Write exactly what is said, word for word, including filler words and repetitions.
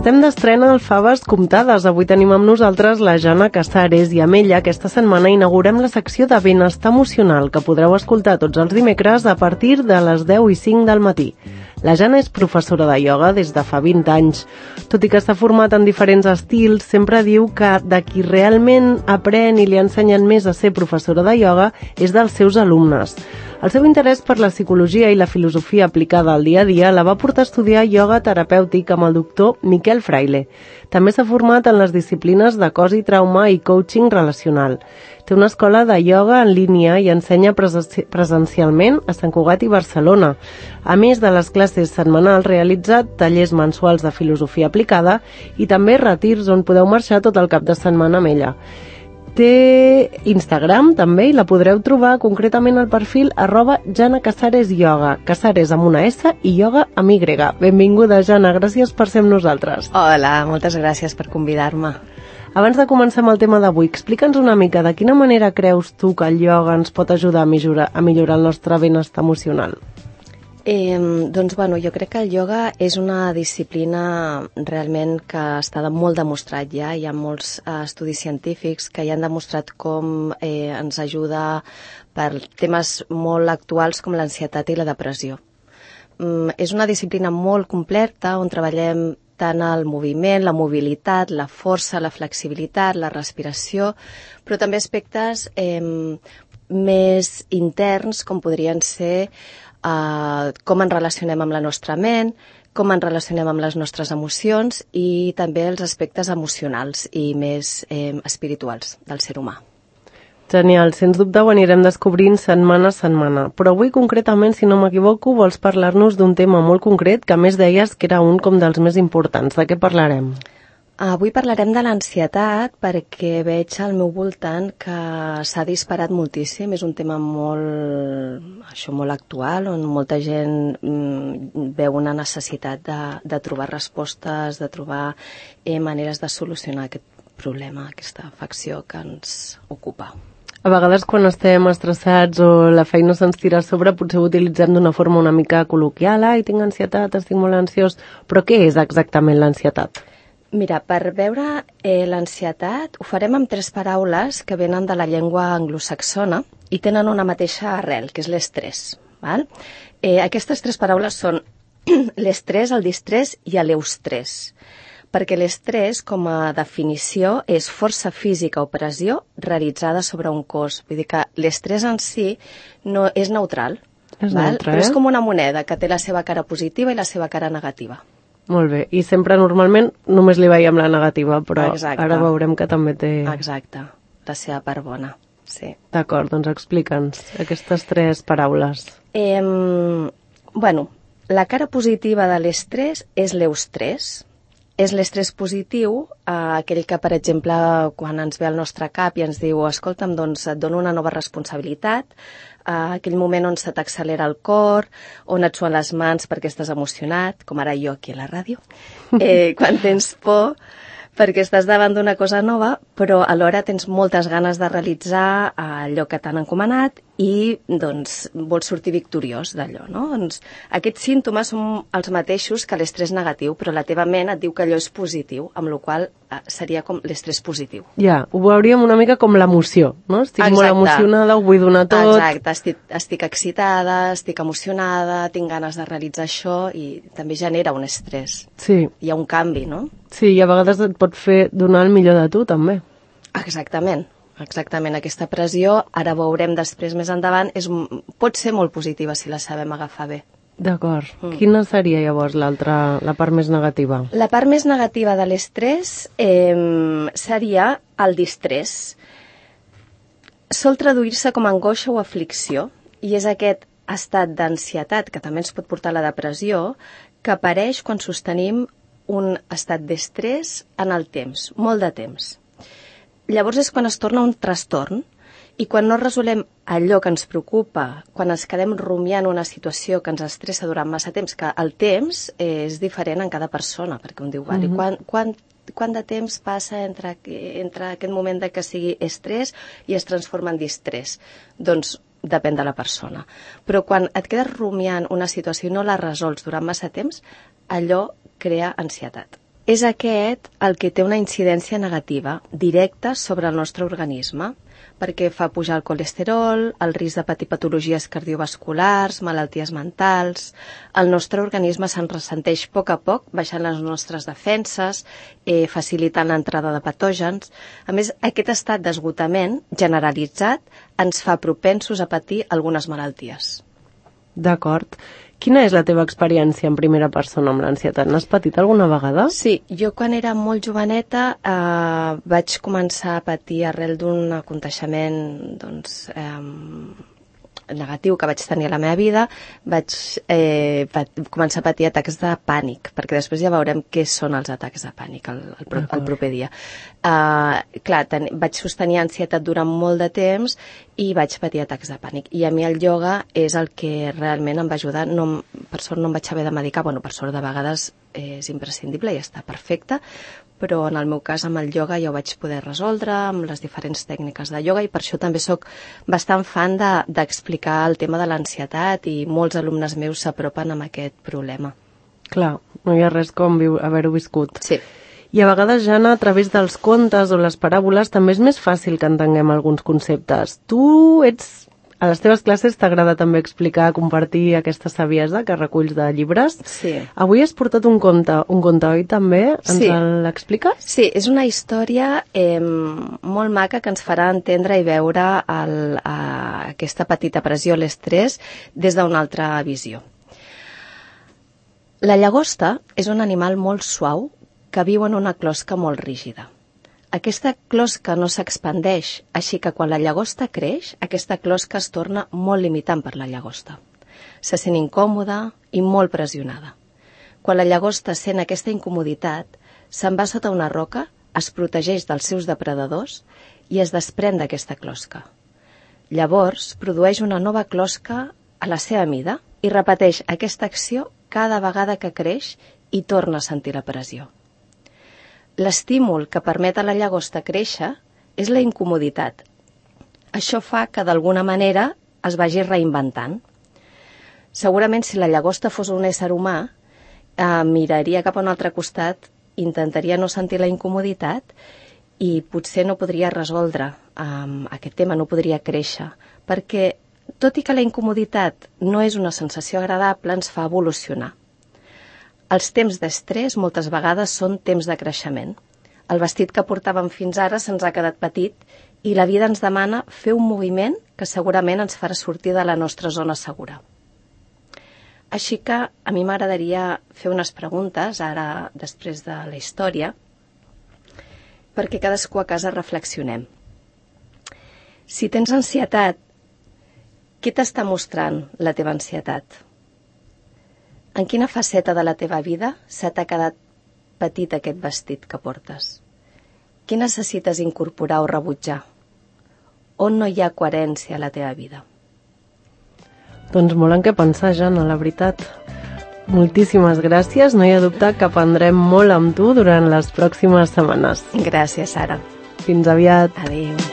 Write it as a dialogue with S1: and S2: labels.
S1: Estem d'estrena al Faves Comptades. Avui tenim amb nosaltres la Jana Casares i amb ella aquesta setmana inaugurem la secció de benestar emocional que podreu escoltar tots els dimecres a partir de les deu i cinc del matí. La Jana és professora de ioga des de fa vint anys. Tot i que està format en diferents estils, sempre diu que de qui realment aprèn i li ensenyen més a ser professora de ioga és dels seus alumnes. El seu interès per la psicologia i la filosofia aplicada al dia a dia la va portar a estudiar ioga terapèutic amb el doctor Miquel Fraile. També s'ha format en les disciplines de cos i trauma i coaching relacional. Té una escola de ioga en línia i ensenya presencialment a Sant Cugat i Barcelona. A més de les classes setmanals, realitza tallers mensuals de filosofia aplicada i també retirs on podeu marxar tot el cap de setmana amb ella. Té Instagram també i la podreu trobar concretament al perfil arroba Jana Casares Ioga, Casares amb una S i ioga amb Y. Benvinguda, Jana, gràcies per ser amb nosaltres.
S2: Hola, moltes gràcies per convidar-me.
S1: Abans de començar amb el tema d'avui, explica'ns una mica de quina manera creus tu que el ioga ens pot ajudar a millorar, a millorar el nostre benestar emocional.
S2: Eh, doncs, bueno, jo crec que el ioga és una disciplina realment que està molt demostrat ja. Hi ha molts eh, estudis científics que ja han demostrat com eh, ens ajuda per temes molt actuals com l'ansietat i la depressió. Mm, és una disciplina molt completa on treballem tant el moviment, la mobilitat, la força, la flexibilitat, la respiració, però també aspectes eh, més interns com podrien ser Uh, com ens relacionem amb la nostra ment, com ens relacionem amb les nostres emocions i també els aspectes emocionals i més eh, espirituals del ser humà.
S1: Genial, sens dubte ho anirem descobrint setmana a setmana. Però avui concretament, si no m'equivoco, vols parlar-nos d'un tema molt concret que a més deies que era un com dels més importants. De què parlarem?
S2: Avui parlarem de l'ansietat perquè veig al meu voltant que s'ha disparat moltíssim. És un tema molt, això, molt actual, on molta gent mm, veu una necessitat de, de trobar respostes, de trobar eh, maneres de solucionar aquest problema, aquesta afecció que ens ocupa.
S1: A vegades quan estem estressats o la feina se'ns tira a sobre potser ho utilitzem d'una forma una mica col·loquial. Ai, tinc ansietat, estic molt ansiós. Però què és exactament l'ansietat?
S2: Mira, per veure eh, l'ansietat ho farem amb tres paraules que venen de la llengua anglosaxona i tenen una mateixa arrel, que és l'estrès. Val? Eh, aquestes tres paraules són l'estrès, el distrés i l'eustrès. Perquè l'estrès, com a definició, és força física o pressió realitzada sobre un cos. Vull dir que l'estrès en si no és neutral,
S1: és
S2: val?
S1: neutre,
S2: Però
S1: eh?
S2: és com una moneda que té la seva cara positiva i la seva cara negativa.
S1: Molt bé, i sempre normalment només li veiem la negativa, però
S2: Exacte.
S1: Ara veurem que també té...
S2: Exacte, la seva part bona, sí.
S1: D'acord, doncs explica'ns aquestes tres paraules.
S2: Eh, bueno, la cara positiva de l'estrès és l'eustrès. És l'estrès positiu, eh, aquell que, per exemple, quan ens ve al nostre cap i ens diu escolta'm, doncs et dono una nova responsabilitat, Uh, aquell moment on se t'accelera el cor, on et suen les mans perquè estàs emocionat, com ara jo aquí a la ràdio, eh, quan tens por perquè estàs davant d'una cosa nova, però alhora tens moltes ganes de realitzar allò que t'han encomanat i doncs vols sortir victoriós d'allò, no? Doncs aquests símptomes són els mateixos que l'estrès negatiu, però la teva ment et diu que allò és positiu, amb la qual cosa seria com l'estrès positiu.
S1: Ja, ho veuríem una mica com l'emoció, no? Estic
S2: Exacte.
S1: molt emocionada, ho vull donar tot...
S2: Exacte, estic, estic excitada, estic emocionada, tinc ganes de realitzar això i també genera un estrès.
S1: Sí.
S2: Hi ha un canvi, no?
S1: Sí, i a vegades et pot fer donar el millor de tu, també.
S2: Exactament. Exactament, aquesta pressió, ara veurem després més endavant, és, pot ser molt positiva si la sabem agafar bé.
S1: D'acord. Mm. Quina seria llavors l'altra, la part més negativa?
S2: La part més negativa de l'estrès eh, seria el distrés. Sol traduir-se com a angoixa o aflicció i és aquest estat d'ansietat, que també ens pot portar a la depressió, que apareix quan sostenim un estat d'estrès en el temps, molt de temps. Llavors és quan es torna un trastorn i quan no resolem allò que ens preocupa, quan ens quedem rumiant una situació que ens estressa durant massa temps, que el temps és diferent en cada persona, perquè un diu, vale, mm-hmm. quan, quan, quant de temps passa entre, entre aquest moment de que sigui estrès i es transforma en distrés? Doncs depèn de la persona. Però quan et quedes rumiant una situació i no la resols durant massa temps, allò crea ansietat. és aquest el que té una incidència negativa directa sobre el nostre organisme, perquè fa pujar el colesterol, el risc de patir patologies cardiovasculars, malalties mentals. El nostre organisme se'n ressenteix a poc a poc, baixant les nostres defenses, eh, facilitant l'entrada de patògens. A més, aquest estat d'esgotament generalitzat ens fa propensos a patir algunes malalties.
S1: D'acord. Quina és la teva experiència en primera persona amb l'ansietat? N'has patit alguna vegada?
S2: Sí, jo quan era molt joveneta eh, vaig començar a patir arrel d'un aconteixement doncs, eh, negatiu que vaig tenir a la meva vida, vaig eh, pat començar a patir atacs de pànic, perquè després ja veurem què són els atacs de pànic el, el, pro el proper dia. Uh, clar, ten vaig sostenir ansietat durant molt de temps i vaig patir atacs de pànic. I a mi el ioga és el que realment em va ajudar. No, per sort no em vaig haver de medicar, bueno, per sort de vegades és imprescindible i està perfecte, però en el meu cas amb el ioga ja ho vaig poder resoldre amb les diferents tècniques de ioga i per això també sóc bastant fan d'explicar de, el tema de l'ansietat i molts alumnes meus s'apropen amb aquest problema.
S1: Clar, no hi ha res com haver-ho viscut.
S2: Sí.
S1: I a vegades, Jana, a través dels contes o les paràboles també és més fàcil que entenguem alguns conceptes. Tu ets... A les teves classes t'agrada també explicar, compartir aquesta saviesa que reculls de llibres.
S2: Sí.
S1: Avui has portat un conte, un conte, oi, també? Ens
S2: sí.
S1: l'expliques?
S2: Sí, és una història eh, molt maca que ens farà entendre i veure el, a, aquesta petita pressió, l'estrès, des d'una altra visió. La llagosta és un animal molt suau que viu en una closca molt rígida. Aquesta closca no s'expandeix, així que quan la llagosta creix, aquesta closca es torna molt limitant per la llagosta. Se sent incòmoda i molt pressionada. Quan la llagosta sent aquesta incomoditat, se'n va sota una roca, es protegeix dels seus depredadors i es desprèn d'aquesta closca. Llavors, produeix una nova closca a la seva mida i repeteix aquesta acció cada vegada que creix i torna a sentir la pressió. L'estímul que permet a la llagosta créixer és la incomoditat. Això fa que d'alguna manera es vagi reinventant. Segurament si la llagosta fos un ésser humà, eh, miraria cap a un altre costat, intentaria no sentir la incomoditat i potser no podria resoldre eh, aquest tema, no podria créixer, perquè tot i que la incomoditat no és una sensació agradable, ens fa evolucionar. Els temps d'estrès moltes vegades són temps de creixement. El vestit que portàvem fins ara se'ns ha quedat petit i la vida ens demana fer un moviment que segurament ens farà sortir de la nostra zona segura. Així que a mi m'agradaria fer unes preguntes, ara després de la història, perquè cadascú a casa reflexionem. Si tens ansietat, què t'està mostrant la teva ansietat? En quina faceta de la teva vida se t'ha quedat petit aquest vestit que portes? Què necessites incorporar o rebutjar? On no hi ha coherència a la teva vida?
S1: Doncs molt en què pensar, Jana, la veritat. Moltíssimes gràcies. No hi ha dubte que aprendrem molt amb tu durant les pròximes setmanes.
S2: Gràcies, Sara.
S1: Fins aviat.
S2: Adéu.